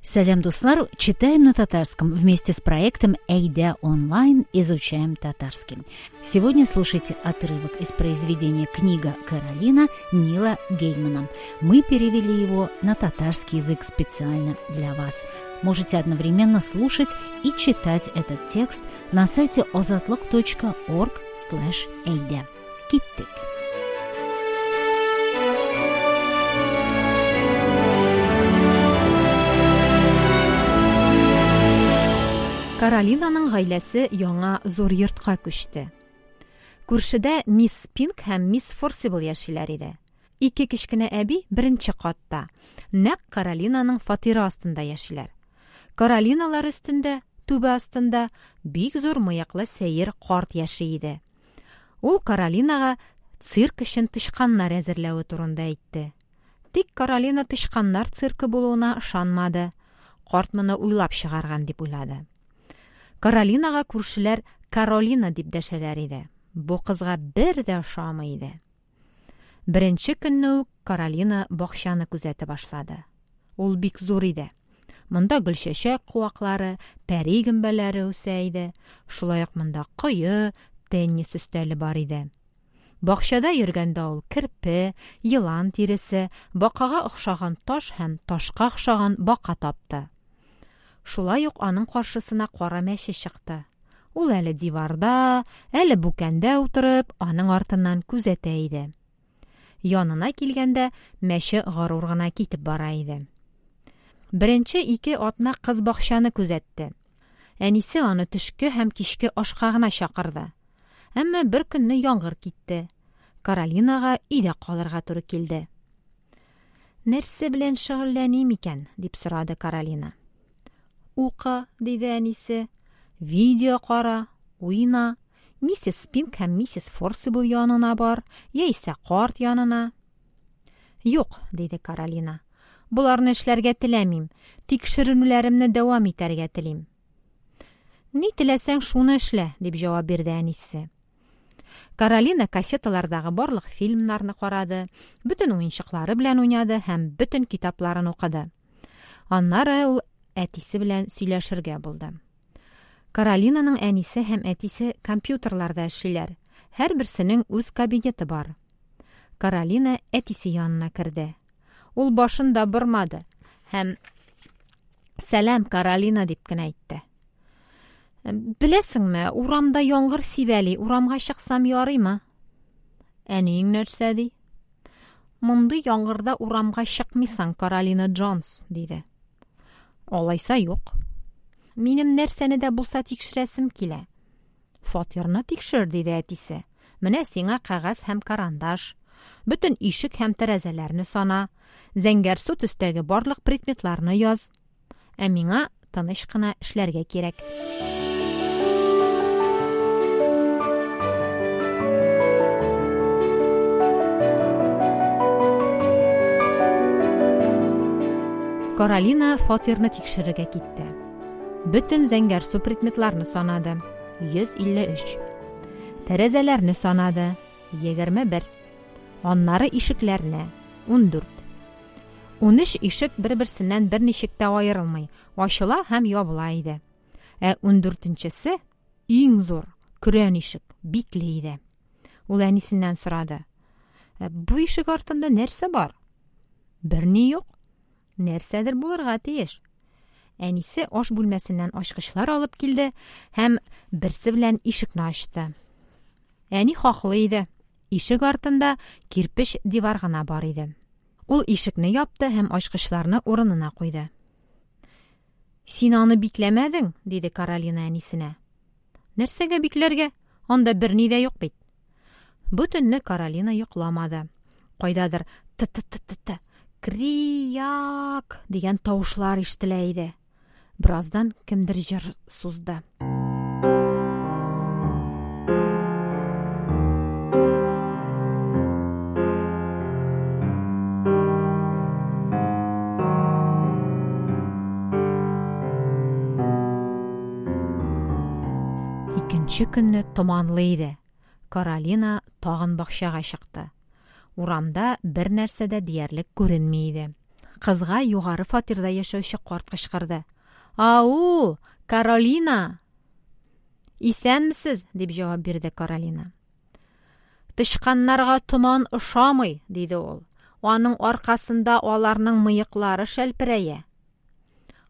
Сәлам, дуслар! Читаем на татарском вместе с проектом «Әйдә онлайн» изучаем татарский. Сегодня слушайте отрывок из произведения «Книга Каролина» Нила Геймана. Мы перевели его на татарский язык специально для вас. Можете одновременно слушать и читать этот текст на сайте ozatliq.org/eyde. Киттек! Каролинаның гаиләсе яңа зур йортка күчте. Күршедә мисс Пинк һәм мисс Форсибл яшиләр иде. Ике кечкенә әби беренче катта, нәкъ Каролинаның фатиры астында яшиләр. Каролиналар өстендә, түбә астында, бик зур мыеклы сәер карт яши иде. Ул Каролинага цирк өчен тычканнар әзерләве турында әйтте. Тик Каролина тычканнар циркы булуына ышанмады. Карт моны уйлап чыгарган дип уйлады. Каролинага күршеләр Каролина дип дәшәләр иде. Бу кызга бер дә ошамый иде. Беренче көнне үк Каролина бакчаны күзәтә башлады. Ул бик зур иде. Монда гөлчәчәк куаклары, пәри гөмбәләре үсә иде. Шулай ук монда кое, теннис өстәле бар иде. Бакчада йөргәндә ул керпе, елан тиресе, бакага охшаган таш һәм ташка охшаган бака тапты. Шулай ук аның каршысына кара мәче чыкты. Ул әле диварда, әле бүкәндә утырып, аның артыннан күзәтә иде. Янына килгәндә, мәче горур гына китеп бара иде. Беренче ике атна кыз бакчаны күзәтте. Әнисе аны төшке һәм кичке ашка гына чакырды. Әмма бер көнне яңгыр китте. Каролинага өйдә калырга туры килде. Нәрсә белән шөгыльләним икән? дип сорады Каролина. Укы, диде әнисе. Видео кара, уйна. Миссис Пинк һәм миссис Форсибл янына бар, яисә карт янына. Юк, диде Каролина. Боларны эшләргә теләмим. Тикшеренүләремне дәвам итәргә телим. Ни теләсәң, шуны эшлә, дип җавап бирде әнисе. Каролина кассеталардагы барлык фильмнарны карады, бөтен уенчыклары белән уйнады һәм бөтен китапларын укыды. Аннары ул әтисе белән сөйләшергә булды. Каролинаның әнисе һәм әтисе компьютерларда эшлиләр. Һәрберсенең үз кабинеты бар. Каролина әтисе янына керде. Ул башын да бормады һәм "Сәлам, Каролина" дип кенә әйтте. Беләсеңме, урамда яңгыр сибәли, урамга чыксам ярыймы? Әниең нәрсә ди? Мондый яңгырда урамга чыкмыйсың, Каролина Джонс, диде. Алайса юк. Минем нәрсәне дә булса тикшерәсем килә. Фатирны тикшер, диде әтисе. Менә сиңа кәгазь һәм карандаш. Бөтен ишек һәм тәрәзәләрне сана. Зәңгәрсу төстәге барлык предметларны яз. Ә миңа тыныч кына эшләргә кирәк. Каролина фатирны тикшерергә китте. Бөтен зәңгәрсу предметларны санады. 153. Тәрәзәләрне санады. 21. Аннары ишекләрне. 14. 13 ишек бер-берсеннән берничек тә аерылмый, ачыла һәм ябыла иде. Ә 14-нчесе, иң зур, көрән ишек, бикле иде. Ул әнисеннән сорады. «Ә бу ишек артында нәрсә бар? Берни юк. Нәрсәдер булырга тиеш. Әнисе аш бүлмәсеннән ачкычлар алып килде һәм берсе белән ишекне ачты. Әни хаклы иде. Ишек артында кирпеч дивар гына бар иде. Ул ишекне япты һәм ачкычларны урынына куйды. Син аны бикләмәдең, диде Каролина әнисенә. Нәрсәгә бикләргә? Анда берни дә юк бит. Бу төнне Каролина йокламады. Кайдадыр т-т-т-т-т, крияк дигән тавышлар ишетелә иде. Бераздан кемдер җыр сузды. Икенче көнне томанлы иде. Каролина тагын бакчага чыкты. Урамда бер нәрсә дә диярлек күренми иде. Кызга югары фатирда яшәүче карт кычкырды. Ау, Каролина! Исәнмесез, дип җавап бирде Каролина. Тычканнарга томан ошамый, диде ул. Аның аркасында аларның мыеклары шәлперәя.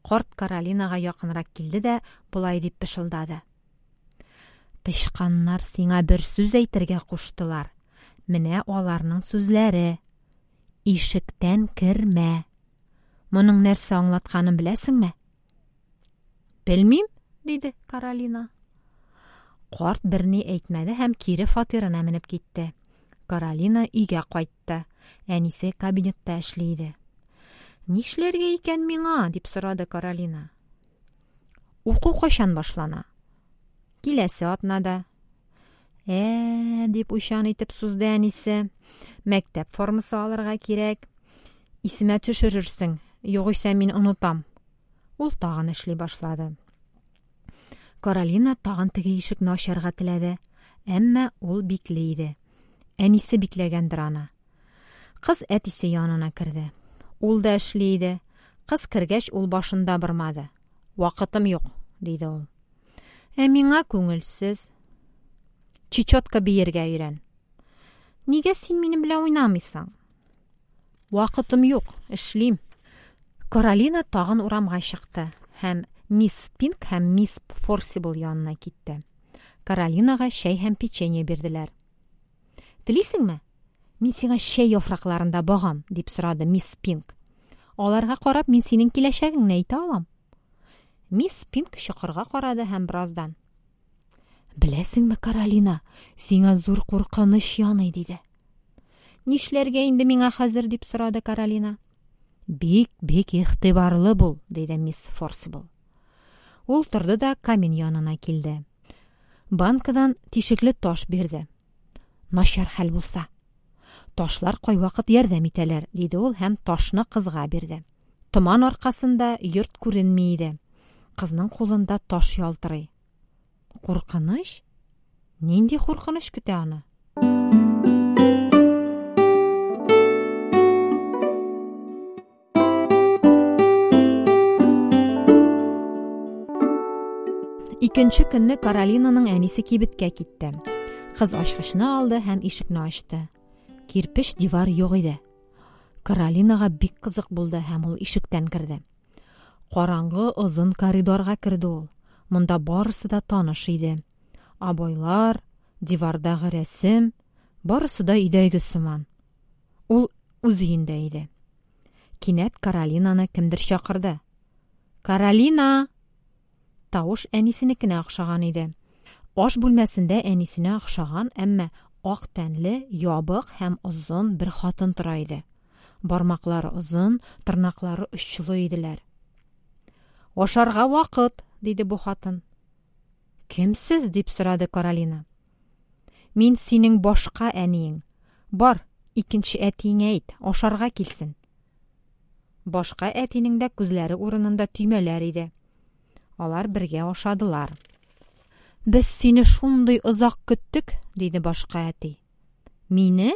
Карт Каролинага якынрак килде дә болай дип пышылдады. Тычканнар сиңа бер сүз әйтергә куштылар. Менә аларның сүзләре. Ишектән кермә. Моның нәрсә аңлатканын беләсеңме? Белмим, диде Каролина. Карт берни әйтмәде һәм кире фатирына менеп китте. Каролина өйгә кайтты. Әнисе кабинетта эшли иде. Нишләргә икән миңа? дип сорады Каролина. Уку кайчан башлана? Киләсе атнада. Ә, дип уйчан итеп сузды әнисе. Мәктәп формасы алырга кирәк. Исемә төшерерсең, югыйсә мин онытам. Ул тагын эшли башлады. Каролина тагын теге ишекне ачарга теләде, әмма ул бикле иде. Әнисе бикләгәндер аны. Кыз әтисе янына керде. Ул да эшли иде. Кыз кергәч, ул башын да бормады. Вакытым юк, диде ул. Ә миңа күңелсез. Чечетка биергә өйрән. Нигә син минем белән уйнамыйсың? Вакытым юк, эшлим. Каролина тагын урамга чыкты һәм мисс Пинк һәм мисс Форсибл янына китте. Каролинага чәй һәм печенье бирделәр. Телисеңме? Мин сиңа чәй яфракларында багам, дип сорады мисс Пинк. Аларга карап, мин синең киләчәгеңне әйтә алам. Мисс Пинк чокырга карады һәм бераздан: Беләсеңме, Каролина, сиңа зур куркыныч яный, диде. Нишләргә инде миңа хәзер, дип сорады Каролина. Бик, бик игътибарлы бул, диде мисс Форсибл. Ул торды да камин янына килде. Банкадан тишекле таш бирде. Начар хәл булса. Ташлар кайвакыт ярдәм итәләр, диде ул һәм ташны кызга бирде. Томан аркасында йорт күренми иде. Кызның кулында таш ялтырый. Куркыныч? Нинди куркыныч көтә аны? Икенче көнне Каролинаның әнисе кибеткә китте. Кыз ачкычны алды һәм ишекне ачты. Кирпеч дивар юк иде. Каролинага бик кызык булды һәм ул ишектән керде. Караңгы озын коридорга керде ул. Монда барысы да таныш иде. Обойлар, дивардагы рәсем, барысы да өйдәге сыман. Ул үз өендә иде. Кинәт Каролинаны кемдер чакырды. Каролина! Тавыш әнисенекенә охшаган иде. Аш бүлмәсендә әнисенә охшаган, әмма ак тәнле, ябык һәм озын бер хатын тора иде. Бармаклары озын, тырнаклары очлы иделәр. Ашарга вакыт, диде бу хатын. Кем сез? дип сорады Каролина. Мин синең башка әниең. Бар, икенче әтиеңә әйт, ашарга килсен. Башка әтинең дә күзләре урынында төймәләр иде. Алар бергә ашадылар. Без сине шундый озак көттек, диде башка әти. Мине?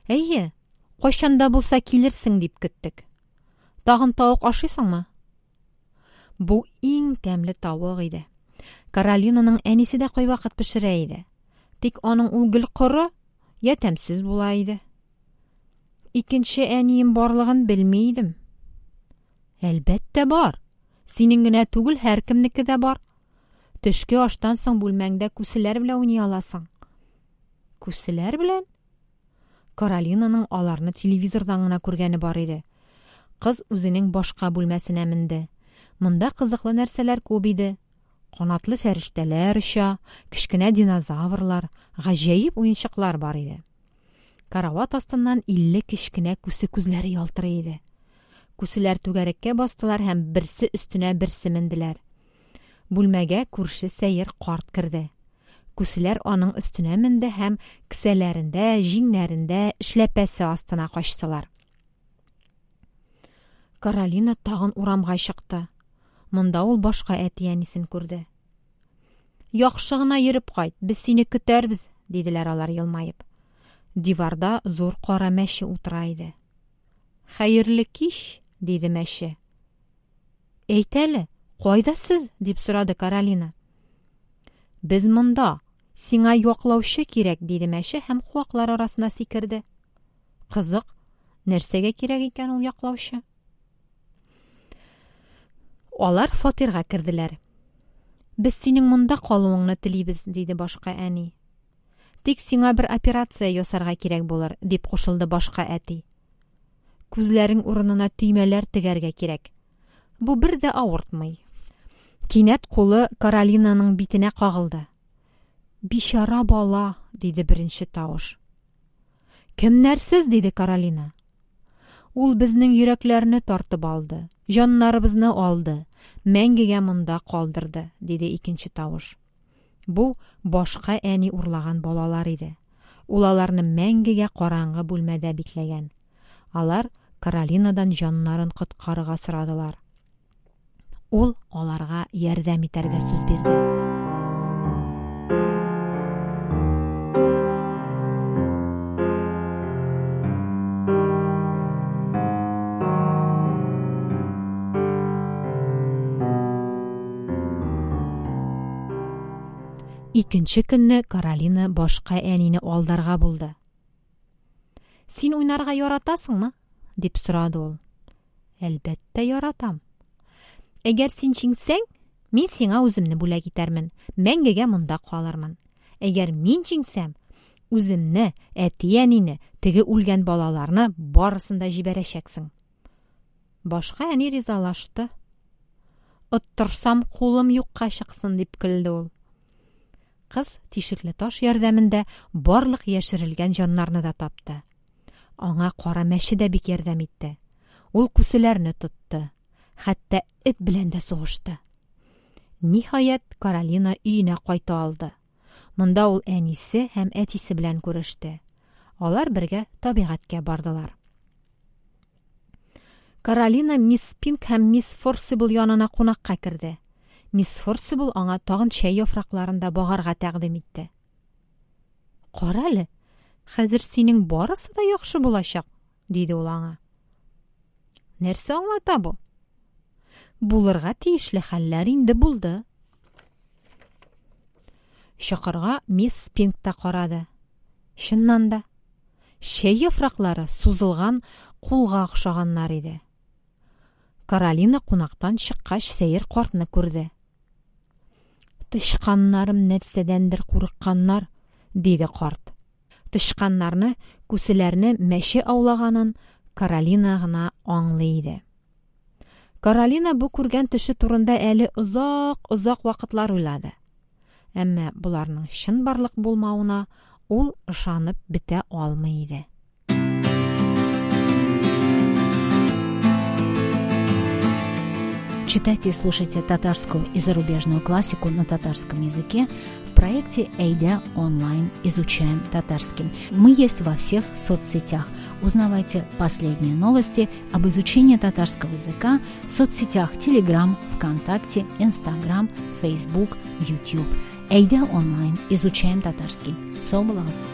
Әйе, кайчан да булса килерсең дип көттек. Тагын тавык ашыйсыңмы? Бу иң тәмле тавык иде. Каролинаның әнисе дә кайвакыт пешерә иде. Тик аның ул гел коры, я тәмсез була иде. Икенче әнием барлыгын белми идем. Әлбәттә бар. Синең генә түгел, һәркемнеке дә бар. Төшке аштан соң бүлмәңдә күселәр белән уйный аласың. Күселәр белән? Каролинаның аларны телевизордан гына күргәне бар иде. Кыз үзенең башка бүлмәсенә менде. Монда кызыклы нәрсәләр күп иде. Канатлы фәрештәләр оча, кечкенә динозаврлар, гаҗәеп уенчыклар бар иде. Карават астыннан 50 кечкенә күсе күзләре ялтырый иде. Күселәр түгәрәккә бастылар һәм берсе өстенә берсе менделәр. Бүлмәгә күрше сәер карт керде. Күселәр аның өстенә менде һәм кесәләрендә, җиңнәрендә, эшләпәсе астына качтылар. Каролина тагын урамга чыкты. Монда ул башка әти-әнисен күрде. Яхшы гына йөреп кайт, без сине көтәрбез, диделәр алар елмаеп. Диварда зур кара мәче утыра иде. Хәерле кич, диде мәче. Әйт әле, кайда сез? дип сорады Каролина. Без монда. Сиңа яклаучы кирәк, диде мәче һәм куаклар арасына сикерде. Кызык, нәрсәгә кирәк икән ул яклаучы? Алар фатирга керделәр. Без синең монда калуыңны телибез, диде башка әни. Тик сиңа бер операция ясарга кирәк булыр, дип кушылды башка әти. Күзләрең урынына төймәләр тегәргә кирәк. Бу бер дә авыртмый. Кинәт кулы Каролинаның битенә кагылды. Бичара бала, диде беренче тавыш. Кемнәр сез? диде Каролина. Ул безнең йөрәкләрне тартып алды, җаннарыбызны алды, мәңгегә монда калдырды, диде икенче тавыш. Бу башка әни урлаган балалар иде. Ул аларны мәңгегә караңгы бүлмәдә бикләгән. Алар Каролинадан җаннарын коткарырга сорадылар. Ул аларга ярдәм итәргә сүз бирде. Икенче көнне Каролина башка әнине алдарга булды. Син уйнарга яратасыңмы? дип сорады ул. Әлбәттә, яратам. Әгәр син җиңсәң, мин сиңа үземне бүләк итәрмен, мәңгегә монда калырмын. Әгәр мин җиңсәм, үземне, әти-әнине, теге үлгән балаларны барысын да җибәрәчәксең. Башка әни ризалашты. Оттырсам, кулым юкка чыксын, дип көлде ул. Кыз тишекле таш ярдәмендә барлык яшерелгән җаннарны да тапты. Аңа кара мәче дә бик ярдәм итте. Ул күселәрне тотты. Хәтта эт белән дә сугышты. Ниһаять, Каролина өенә кайта алды. Монда ул әнисе һәм әтисе белән күреште. Алар бергә табигатькә бардылар. Каролина мисс Пинк һәм мисс Форсибл янына кунакка керде. Мисс Форсибл аңа тагын чәй яфракларын да багарга тәкъдим итте. Кара әле, хәзер синең барысы да яхшы булачак, диде ул аңа. Нәрсә аңлата бу? Булырга тиешле хәлләр инде булды. Чокырга мисс Пинк та карады. Чыннан да, чәй яфраклары сузылган кулга охшаганнар иде. Каролина кунактан чыккач сәер картны күрде. Тычканнарым нәрсәдәндер курыкканнар, диде карт. Тычканнарны, күселәрне мәче аулаганын Каролина гына аңлый иде. Каролина бу күргән төше турында әле озак-озак вакытлар уйлады. Әмма боларның чынбарлык булмавына ул ышанып бетә алмый иде. Читайте и слушайте татарскую и зарубежную классику на татарском языке в проекте «Эйдя онлайн. Изучаем татарский». Мы есть во всех соцсетях. Узнавайте последние новости об изучении татарского языка в соцсетях Telegram, ВКонтакте, Instagram, Facebook, YouTube. Әйдә онлайн. Изучаем татарский. Сау булыгыз!